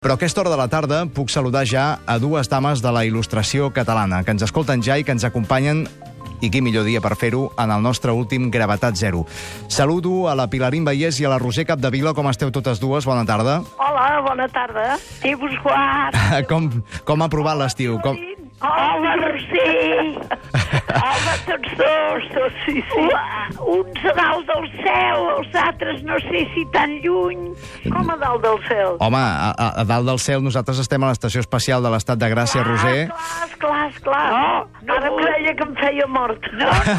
Però a aquesta hora de la tarda puc saludar ja a dues dames de la il·lustració catalana, que ens escolten ja i que ens acompanyen, i quin millor dia per fer-ho, en el nostre últim Gravetat Zero. Saludo a la Pilarín Vallès i a la Roser Capdevila. Com esteu totes dues? Bona tarda. Hola, bona tarda. Déu-vos guard. Com ha provat l'estiu? Hola, Roser. Hola, tots dos. Sí. Uns a dalt del cel, els altres no sé si tan lluny. Com a dalt del cel? Home, a dalt del cel nosaltres estem a l'Estació Espacial de l'Estat de Gràcia, Roser. Clar. No, ara em creia que em feia mort.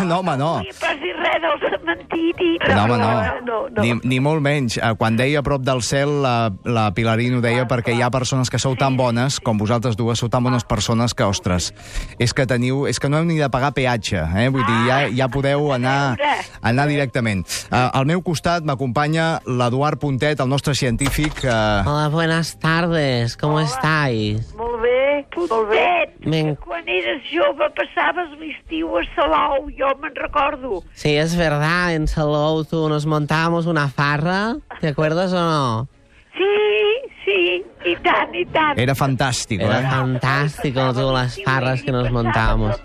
No, home, no. No pas dir res del cementiri. No, home, no. Ni molt menys. Quan deia a prop del cel, la Pilarín ho deia perquè hi ha persones que sou tan bones, com vosaltres dues, sou tan bones persones que, ostres, és que no heu ni de pagar peatge, vull dir, ja podeu anar directament. Al meu costat m'acompanya l'Eduard Puntet, el nostre científic. Hola, buenas tardes, ¿cómo estáis? Molt bé. Puntet, quan eres jove passaves l'estiu a Salou, jo me'n recordo. Sí, es verdad, en Salou nos montábamos una farra, ¿te acuerdas o no? Sí, i tant. Era fantàstic, Era fantástico, todas las farras que nos montábamos.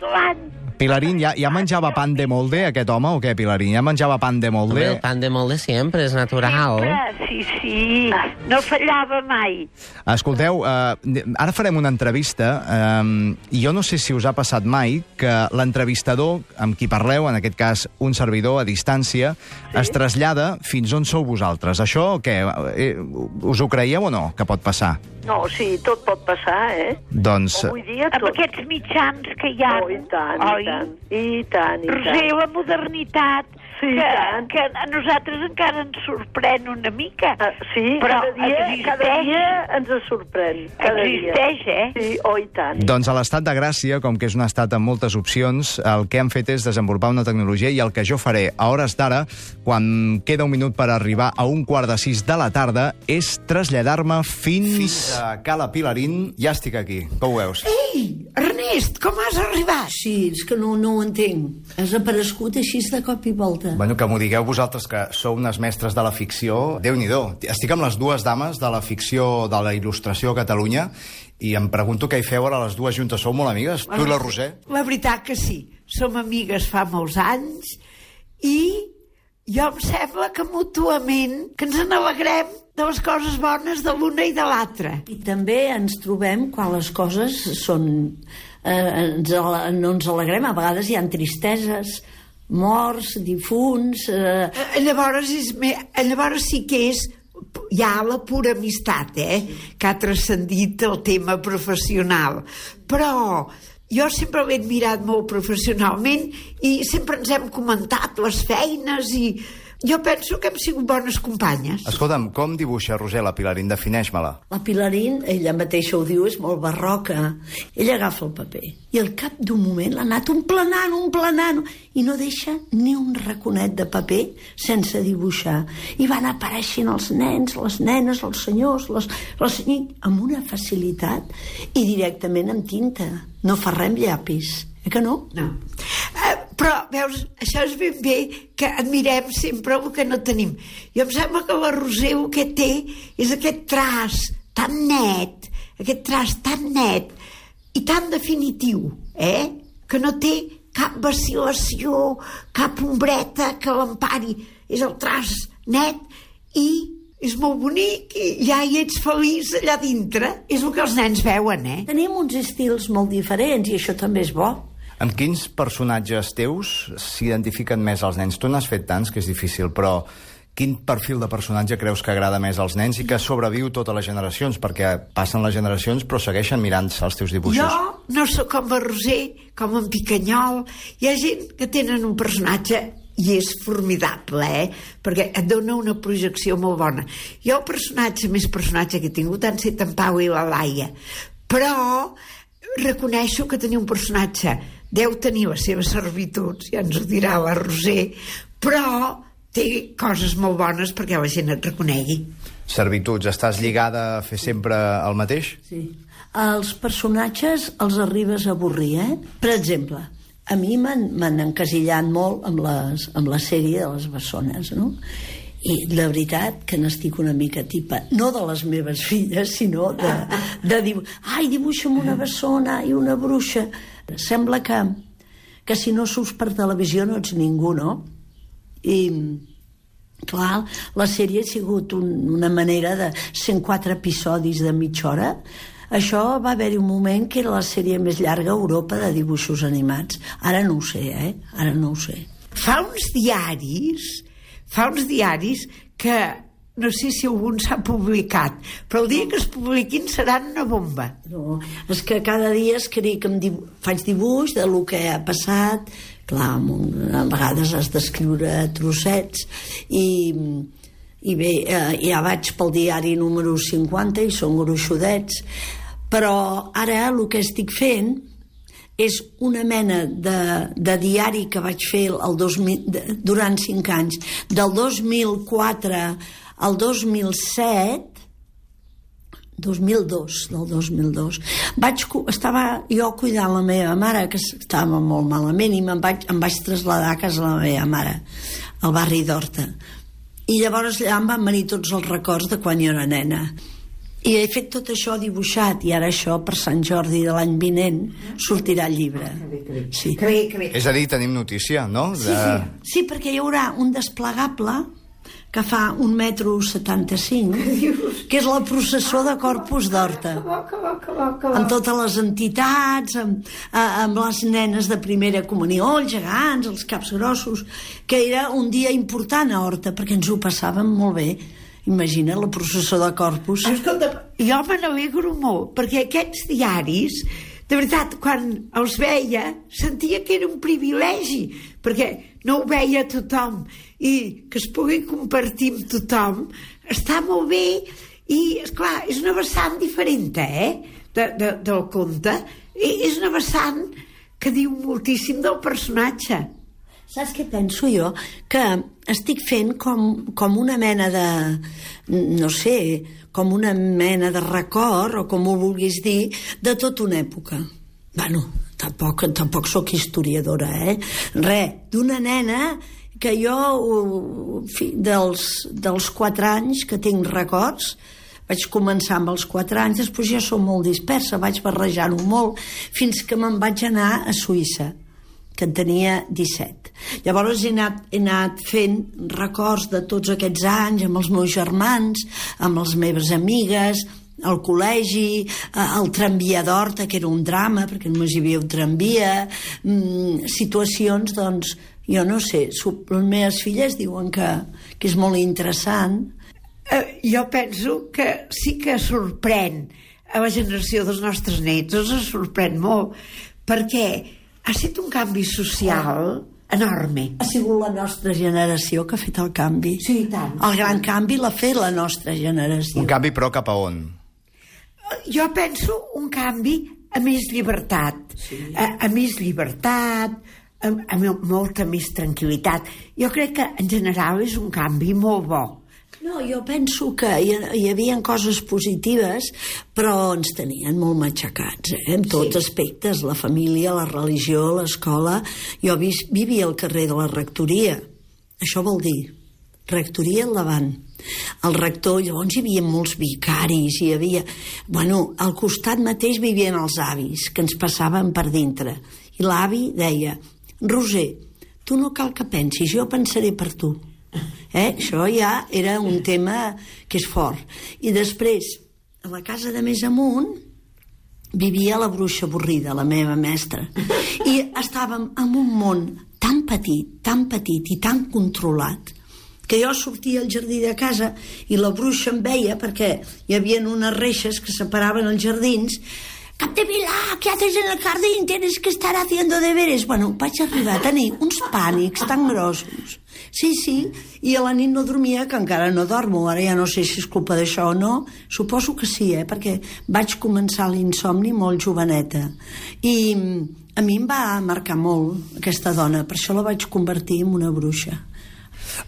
Pilarín, ¿ya manjava pan de molde aquest home o què, Pilarín? ¿Ya manjava pan de molde? Hombre, el pan de molde siempre, es natural. Sí, no fallava mai. Escolteu, ara farem una entrevista i jo no sé si us ha passat mai que l'entrevistador amb qui parleu, en aquest cas un servidor a distància, es trasllada fins on sou vosaltres. Això, què? Us ho creieu o no, que pot passar? No, sí, tot pot passar, Doncs... Avui dia tot. Amb aquests mitjans que hi ha. I tant. Roser, la modernitat, que a nosaltres encara ens sorprèn una mica. Sí, però cada dia ens sorprèn. Existeix, Sí, i tant. Doncs a l'Estat de Gràcia, com que és un estat amb moltes opcions, el que han fet és desenvolupar una tecnologia i el que jo faré a hores d'ara, quan queda un minut per arribar a 5:45 de la tarda, és traslladar-me fins a Cala Pilarín. Ja estic aquí, com ho veus? Ei, Ernest, com has arribat? Sí, és que no ho entenc. Has aparegut així de cop i volta. Bueno, que m'ho digueu vosaltres, que sou unes mestres de la ficció. Déu-n'hi-do. Estic amb les dues dames de la ficció, de la il·lustració a Catalunya, i em pregunto què hi feu ara les dues juntes. Sou molt amigues? Tu i la Roser? La veritat que sí. Som amigues fa molts anys i jo em sembla que mútuament que ens n'alegrem de les coses bones de l'una i de l'altra. I també ens trobem quan les coses són... no ens alegrem, a vegades hi ha tristeses, morts, difunts... Llavors sí que és... Hi ha la pura amistat, que ha transcendit el tema professional. Però jo sempre l'he admirat molt professionalment i sempre ens hem comentat les feines i jo penso que hem sigut bones companyes. Escolta'm, com dibuixa, Roser, la Pilarín? Defineix-me-la. La Pilarín, ella mateixa ho diu, és molt barroca. Ella agafa el paper i al cap d'un moment l'ha anat emplenant i no deixa ni un raconet de paper sense dibuixar. I van apareixent els nens, les nenes, els senyors, les amb una facilitat i directament amb tinta. No fa res amb llapis. Que no? No. Però, veus, això és ben bé que admirem sempre el que no tenim. Jo em sembla que la Roser el que té és aquest traç tan net, i tan definitiu, que no té cap vacil·lació, cap ombreta que l'empari. És el traç net i és molt bonic i ja hi ets feliç allà dintre. És el que els nens veuen, Tenim uns estils molt diferents i això també és bo. Amb quins personatges teus s'identifiquen més els nens? Tu n'has fet tants que és difícil, però quin perfil de personatge creus que agrada més als nens i que sobreviu totes les generacions? Perquè passen les generacions però segueixen mirant-se els teus dibuixos. Jo no sóc com la Roser, com en Picanyol. Hi ha gent que tenen un personatge i és formidable, perquè et dona una projecció molt bona. Jo més personatge que he tingut han set en Pau i la Laia, però reconeixo que tenir un personatge deu tenir les seves servituds, ja ens ho dirà la Roser, però té coses molt bones perquè la gent et reconegui. Servituds, estàs lligada a fer sempre el mateix? Sí. Els personatges els arribes a avorrir, Per exemple, a mi m'han encasillat molt amb la sèrie de les bessones, no? I la veritat que n'estic una mica tipa, no de les meves filles, sinó de dir, ai, dibuixa'm una bessona i una bruixa. Sembla que si no surts per televisió no ets ningú, no? I clar, la sèrie ha sigut una manera de 104 episodis de mitja hora. Això va haver-hi un moment que era la sèrie més llarga a Europa de dibuixos animats. Ara no ho sé, Ara no ho sé. Fa uns diaris que no sé si algun s'ha publicat, però el dia que es publiquin seran una bomba. No, és que cada dia escric, faig dibuix de lo que ha passat. Clar, a vegades has d'escriure trossets i bé, ja vaig pel diari número 50 i són gruixudets, però ara el que estic fent és una mena de diari que vaig fer durant 5 anys, del 2004 al 2007, 2002. Estava jo cuidant la meva mare, que estava molt malament, i em vaig traslladar a casa de la meva mare, al barri d'Horta. I llavors allà em van venir tots els records de quan jo era nena. I he fet tot això dibuixat, i ara això, per Sant Jordi de l'any vinent, sortirà el llibre. Sí. Que bé. És a dir, tenim notícia, no? Sí, perquè hi haurà un desplegable que fa 1,75 m, que és la processó de Corpus d'Horta, amb totes les entitats, amb les nenes de primera comunió, els gegants, els caps grossos, que era un dia important a Horta, perquè ens ho passàvem molt bé. Imagina la processó de Corpus. Escolta, jo me n'alegro molt, perquè aquests diaris, de veritat, quan els veia, sentia que era un privilegi, perquè no ho veia tothom, i que es pugui compartir amb tothom està molt bé. I esclar, és una vessant diferent del conte, és una vessant que diu moltíssim del personatge. Saps què penso jo? Que estic fent com una mena de, no sé, com una mena de record, o com ho vulguis dir, de tota una època. Bueno, tampoc sóc historiadora, d'una nena que jo, dels 4 anys que tinc records, vaig començar amb els 4 anys, després ja som molt dispersa, vaig barrejar-ho molt, fins que me'n vaig anar a Suïssa, que en tenia 17. Llavors he anat fent records de tots aquests anys, amb els meus germans, amb les meves amigues, al col·legi, al tramvia d'Horta, que era un drama, perquè només hi havia un tramvia, situacions, doncs, jo no sé, les meves filles diuen que és molt interessant. Jo penso que sí que sorprèn a la generació dels nostres nets, els sorprèn molt, perquè ha estat un canvi social enorme. Ha sigut la nostra generació que ha fet el canvi. Sí, i tant. El gran canvi l'ha fet la nostra generació. Un canvi, però, cap a on? Jo penso un canvi a més llibertat, a més llibertat, a molta més tranquil·litat. Jo crec que en general és un canvi molt bo. No, jo penso que hi havia coses positives, però ens tenien molt matxacats, en tots aspectes, la família, la religió, l'escola. Jo vivia al carrer de la rectoria, això vol dir rectoria al davant. El rector, llavors hi havia molts vicaris, hi havia... Bueno, al costat mateix vivien els avis, que ens passaven per dintre. I l'avi deia: Roser, tu no cal que pensis, jo pensaré per tu. Això ja era un tema que és fort. I després, a la casa de més amunt, vivia la bruixa avorrida, la meva mestra. I estàvem en un món tan petit i tan controlat, que jo sortia al jardí de casa i la bruixa em veia, perquè hi havia unes reixes que separaven els jardins. Capdevila, ¿qué haces en el jardín? Tienes que estar haciendo deberes. Bueno, vaig arribar a tenir uns pànics tan grossos. Sí, i a la nit no dormia, que encara no dormo. Ara ja no sé si és culpa d'això o no. Suposo que sí, perquè vaig començar l'insomni molt joveneta. I a mi em va marcar molt aquesta dona, per això la vaig convertir en una bruixa.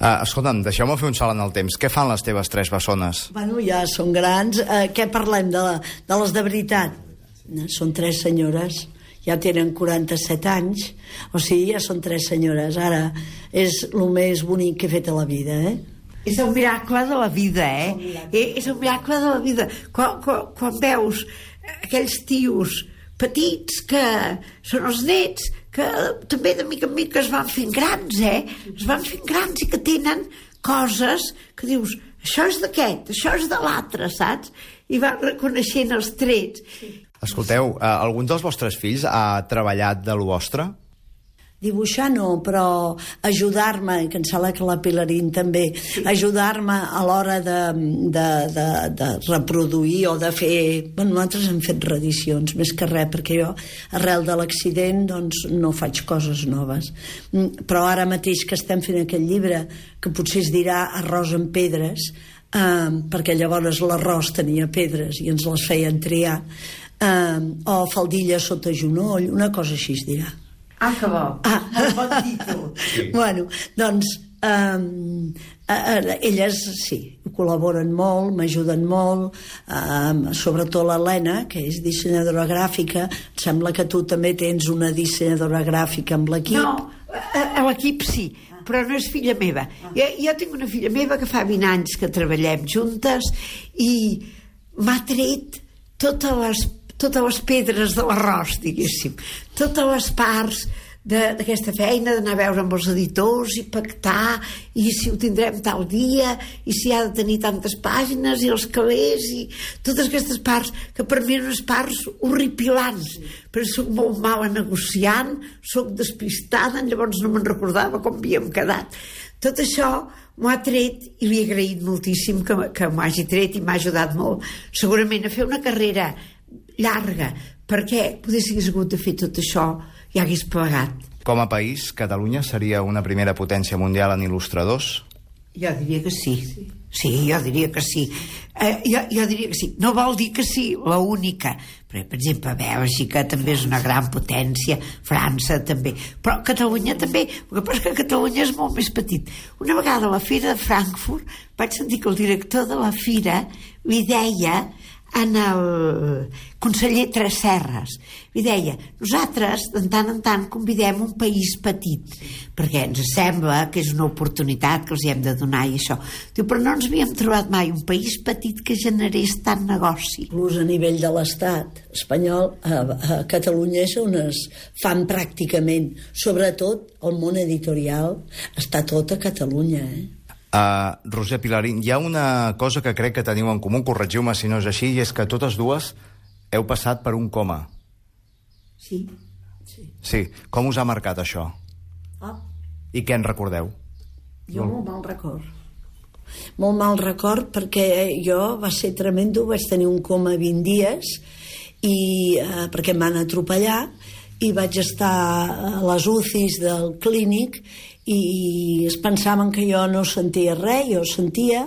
Escolta'm, deixeu-me fer un salt en el temps. Què fan les teves 3 bessones? Bueno, ja són grans. Què parlem de les de veritat? Són 3 senyores, ja tenen 47 anys, o sigui, ja són 3 senyores. Ara és el més bonic que he fet a la vida, És un miracle de la vida, És un miracle de la vida. Quan veus aquells tios petits que són els nets, que també de mica en mica es van fent grans, Es van fent grans i que tenen coses que dius, això és d'aquest, això és de l'altre, saps? I van reconeixent els trets. Escolteu, algun dels vostres fills ha treballat de lo vostre? Dibuixar no, però ajudar-me, que em sembla que la Pilarín també, ajudar-me a l'hora de reproduir o de fer... Bueno, nosaltres hem fet reedicions, més que res, perquè jo, arrel de l'accident, doncs no faig coses noves. Però ara mateix que estem fent aquest llibre, que potser es dirà Arròs amb pedres, perquè llavors l'arròs tenia pedres i ens les feien triar, o faldilla sota genoll, una cosa així es dirà. Ah, que bo. Molt bon títol. Sí. Bueno, doncs elles sí, col·laboren molt, m'ajuden molt, sobretot l'Helena, que és dissenyadora gràfica. Em sembla que tu també tens una dissenyadora gràfica amb l'equip. No, a l'equip sí, però no és filla meva. Jo tinc una filla meva que fa 20 anys que treballem juntes i m'ha tret totes les pedres de l'arròs, diguéssim, totes les parts d'aquesta feina, d'anar a veure amb els editors i pactar, i si ho tindrem tal dia, i si ha de tenir tantes pàgines, i els calés, i totes aquestes parts, que per mi eren unes parts horripilants, però soc molt mala negociant, soc despistada, llavors no me'n recordava com havíem quedat. Tot això m'ho ha tret i li he agraït moltíssim que m'ho hagi tret i m'ha ajudat molt, segurament a fer una carrera llarga, perquè hagués hagut de fer tot això i hagués plegat. Com a país, Catalunya seria una primera potència mundial en il·lustradors? Jo diria que sí. Sí, jo diria que sí. Jo diria que sí. No vol dir que sí, l'única. Però, per exemple, Bèlgica també és una gran potència, França també. Però Catalunya també. El que passa és que Catalunya és molt més petit. Una vegada a la Fira de Frankfurt vaig sentir que el director de la Fira li deia en el conseller Tresserras, li deia, nosaltres de tant en tant convidem un país petit perquè ens sembla que és una oportunitat que els hi hem de donar i això. Diu, però no ens havíem trobat mai un país petit que generés tant negoci. Inclús a nivell de l'estat espanyol, a Catalunya és on es fan pràcticament, sobretot el món editorial està tot a Catalunya, Roser, Pilarín, hi ha una cosa que crec que teniu en comú, corregiu-me si no és així, i és que totes dues heu passat per un coma. Sí. Sí. Com us ha marcat això? I què en recordeu? Jo molt mal record. Molt mal record perquè jo va ser tremendo, vaig tenir un coma 20 dies i perquè em van atropellar i vaig estar a les UCIs del clínic i es pensaven que jo no sentia res, jo sentia,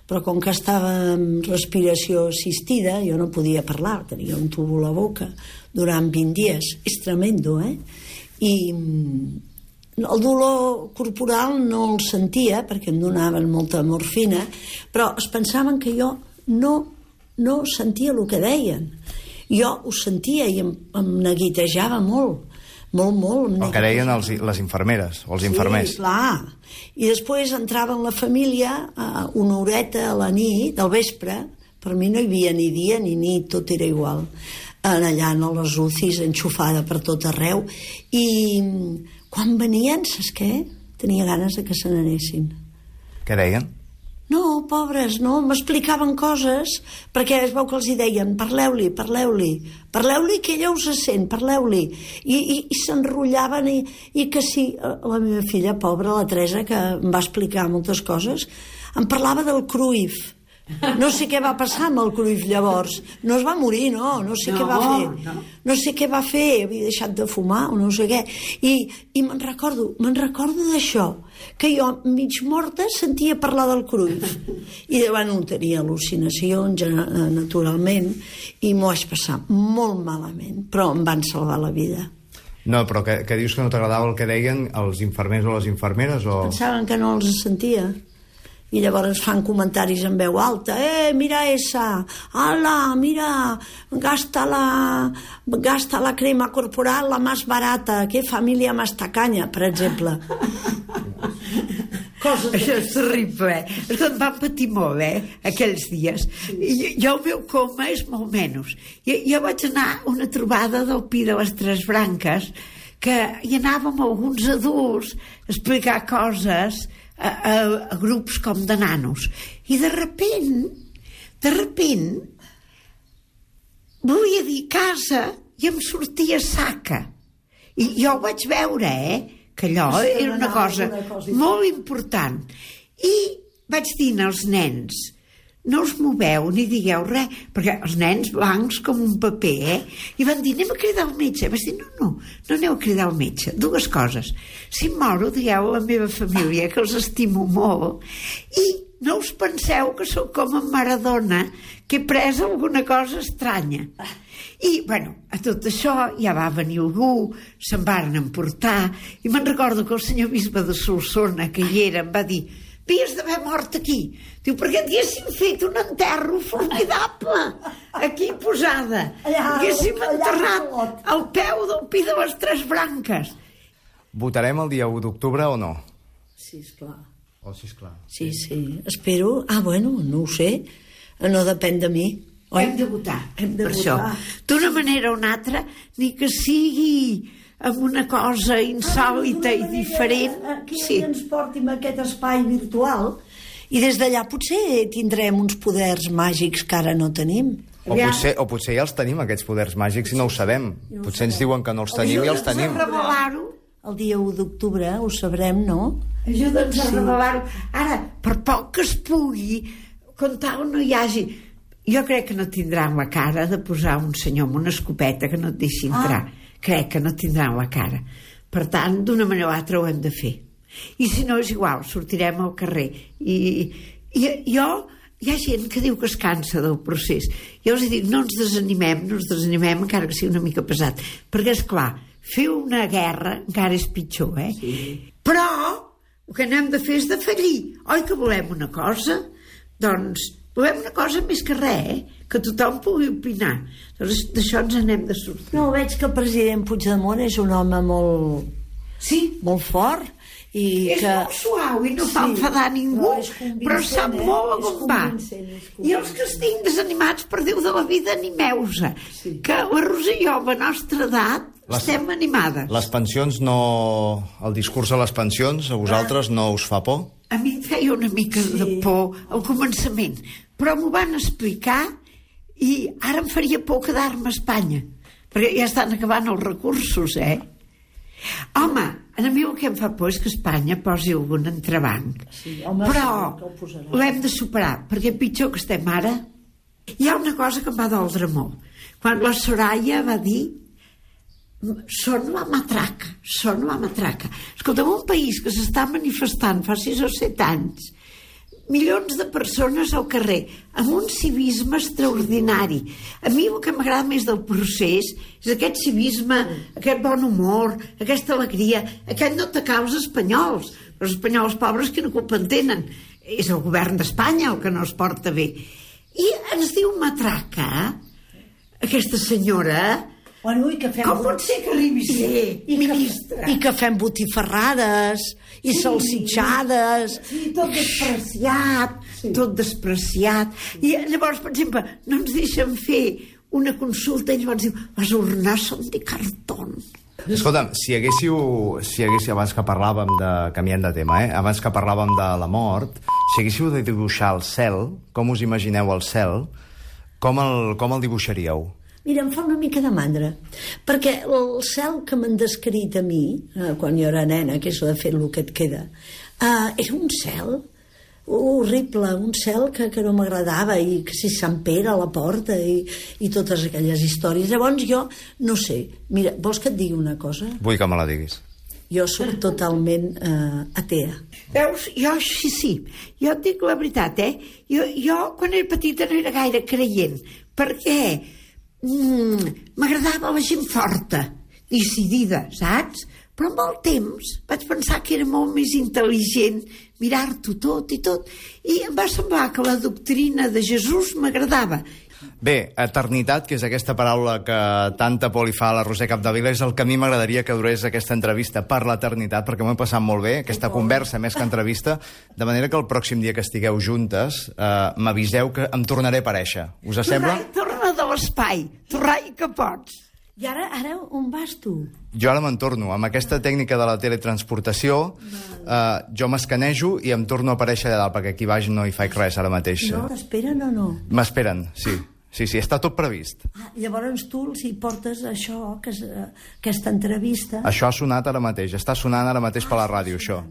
però com que estava amb respiració assistida, jo no podia parlar, tenia un tubo a la boca durant 20 dies. És tremendo, I el dolor corporal no el sentia, perquè em donaven molta morfina, però es pensaven que jo no sentia el que deien. Jo ho sentia i em neguitejava molt. Molt. El que deien les infermeres o els infermers. Sí, clar. I després entrava en la família una horeta a la nit, al vespre, per mi no hi havia ni dia ni nit, tot era igual, allà a les UCIs, enxufada per tot arreu, i quan venien, saps què? Tenia ganes de que se n'anessin. Què deien? No, pobres, no, m'explicaven coses, perquè es veu que els hi deien, parleu-li, que ella us sent, parleu-li, i s'enrotllaven, i que sí, la meva filla, pobra, la Teresa, que em va explicar moltes coses, em parlava del Cruyff. No sé què va passar amb el Cruyff llavors. No es va morir, no sé què va fer. No sé què va fer, havia deixat de fumar o no sé què. I me'n recordo d'això, que jo, mig morta, sentia parlar del Cruyff. I davant tenia al·lucinacions, naturalment, i m'ho vaig passar molt malament, però em van salvar la vida. No, però que dius que no t'agradava el que deien els infermers o les infermeres? Pensaven que no els sentia. I llavors fan comentaris en veu alta, mira esa, ala, mira, gasta la crema corporal la más barata, que família más tacaña, per exemple. Això és terrible, És que em van patir molt, aquells dies. Jo el meu coma és molt menys. Jo vaig anar a una trobada del Pi de les Tres Branques, que hi anàvem alguns adults a explicar coses a grups com de nanos. I de repent, volia dir casa i em sortia saca. I jo ho vaig veure, que allò era una cosa molt important. I vaig dir als nens, no us moveu ni digueu res, perquè els nens blancs com un paper, i van dir, anem a cridar el metge. Vaig dir, no aneu a cridar el metge. Dues coses. Si em moro, digueu a la meva família que els estimo molt, i no us penseu que sóc com en Maradona, que he pres alguna cosa estranya. I, a tot això ja va venir algú, se'n varen emportar, i me'n recordo que el senyor bisbe de Solsona, que hi era, em va dir, havies d'haver mort aquí. Diu, perquè haguéssim fet un enterro formidable aquí posada. Haguéssim enterrat al peu del Pi de les Tres Branques. Votarem el dia 1 d'octubre o no? Sí, esclar. Sisplau. Sí, espero. No ho sé. No depèn de mi. Hem de votar. Per això. D'una manera o una altra, ni que sigui amb una cosa insòlita i diferent. Aquí ens portin a aquest espai virtual i des d'allà potser tindrem uns poders màgics que ara no tenim. O potser ja els tenim, aquests poders màgics, i no ho sabem. Potser ens diuen que no els tenim i els tenim. El dia 1 d'octubre ho sabrem, no? Ajuda'ns a revelar-ho. Ara, per poc que es pugui, com tal no hi hagi... Jo crec que no tindran la cara de posar un senyor amb una escopeta que no et deixi entrar. Crec que no tindran la cara. Per tant, d'una manera o altra ho hem de fer. I si no, és igual, sortirem al carrer. I hi ha gent que diu que es cansa del procés. Jo els dic, no ens desanimem, encara que sigui una mica pesat. Perquè, esclar, fer una guerra encara és pitjor, Sí. Però el que n'hem de fer és de fallir. Oi que volem una cosa? Doncs volem una cosa més que res, que tothom pugui opinar. Doncs d'això ens n'hem de sortir. No, veig que el president Puigdemont és un home molt fort. És molt suau i no fa enfadar ningú, però sap molt on va. I els que estic desanimats, per Déu de la vida, animeu-se, que la Rosa i jo, a la nostra edat, estem animades. Les pensions no... El discurs de les pensions, a vosaltres no us fa por? A mi em feia una mica de por al començament, però m'ho van explicar i ara em faria por quedar-me a Espanya, perquè ja estan acabant els recursos, Home, a mi el que em fa por és que Espanya posi algun entrebanc. Però l'hem de superar, perquè pitjor que estem ara. Hi ha una cosa que em va doldre molt. Quan la Soraya va dir són la matraca. Escolta, en un país que s'està manifestant fa 6 o 7 anys, milions de persones al carrer, amb un civisme extraordinari. A mi el que m'agrada més del procés és aquest civisme, aquest bon humor, aquesta alegria, aquest no atacar els espanyols. Els espanyols pobres que no culpa en tenen. És el govern d'Espanya el que no es porta bé. I ens diu matraca, aquesta senyora... Com pot ser que arribi a ser ministra? I que fem botifarrades i salsitxades. Tot despreciat. I llavors, per exemple, no ens deixen fer una consulta i llavors diu, les urnes són de cartó. Escolta'm, si haguéssiu, abans que parlàvem de... canviant de tema, abans que parlàvem de la mort, si haguéssiu de dibuixar el cel, com us imagineu el cel, com el dibuixaríeu? Mira, em fa una mica de mandra, perquè el cel que m'han descrit a mi, quan jo era nena, que és de fet el que et queda, era un cel horrible, un cel que no m'agradava, i que si Sant Pere a la porta i totes aquelles històries. Llavors jo, no sé, mira, vols que et digui una cosa? Vull que me la diguis. Jo soc totalment atea. Veus, jo sí. Jo et dic la veritat, Jo, quan era petita, no era gaire creient, perquè m'agradava la gent forta, decidida, saps? Però amb el temps vaig pensar que era molt més intel·ligent mirar-t'ho tot, i em va semblar que la doctrina de Jesús m'agradava. Bé, eternitat, que és aquesta paraula que tanta por li fa a la Roser Capdevila, és el que a mi m'agradaria que durés aquesta entrevista per l'eternitat, perquè m'ho he passat molt bé, aquesta conversa més que entrevista, de manera que el pròxim dia que estigueu juntes m'aviseu que em tornaré a aparèixer. Us sembla? Torna de l'espai, torrai que pots. I ara on vas tu? Jo ara me'n torno. Amb aquesta tècnica de la teletransportació, jo m'escanejo i em torno a aparèixer allà dalt, perquè aquí baix no hi faig res ara mateix. No, t'esperen o no? M'esperen, sí. Sí, està tot previst. Llavors tu els hi portes això, aquesta entrevista. Això ha sonat ara mateix, està sonant ara mateix per la ràdio, això.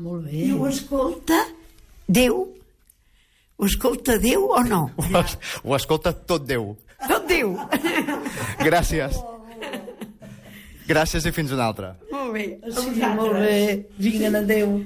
Molt bé. I ho escolta Déu? Ho escolta Déu o no? Ho escolta tot Déu. Tot Déu. Gràcies. Gràcies i fins una altra. Molt bé. Sí, molt bé. Vinga, adéu.